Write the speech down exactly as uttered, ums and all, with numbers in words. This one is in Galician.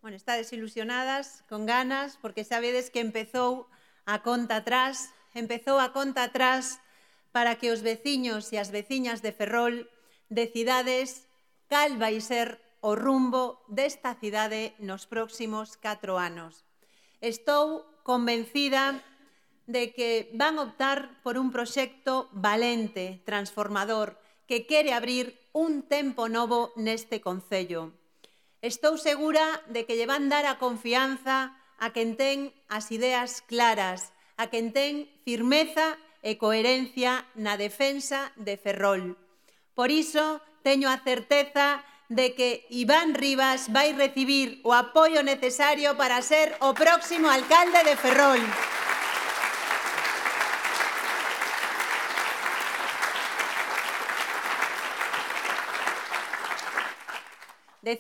Bueno, estades ilusionadas, con ganas, porque sabedes que empezou a conta atrás, empezou a conta atrás para que os veciños e as veciñas de Ferrol decidades cal vai ser o rumbo desta cidade nos próximos catro anos. Estou convencida de que van optar por un proxecto valente, transformador, que quere abrir un tempo novo neste concello. Estou segura de que lle van dar a confianza a quen ten as ideas claras, a quen ten firmeza e coherencia na defensa de Ferrol. Por iso, teño a certeza de que Iván Rivas vai recibir o apoio necesario para ser o próximo alcalde de Ferrol.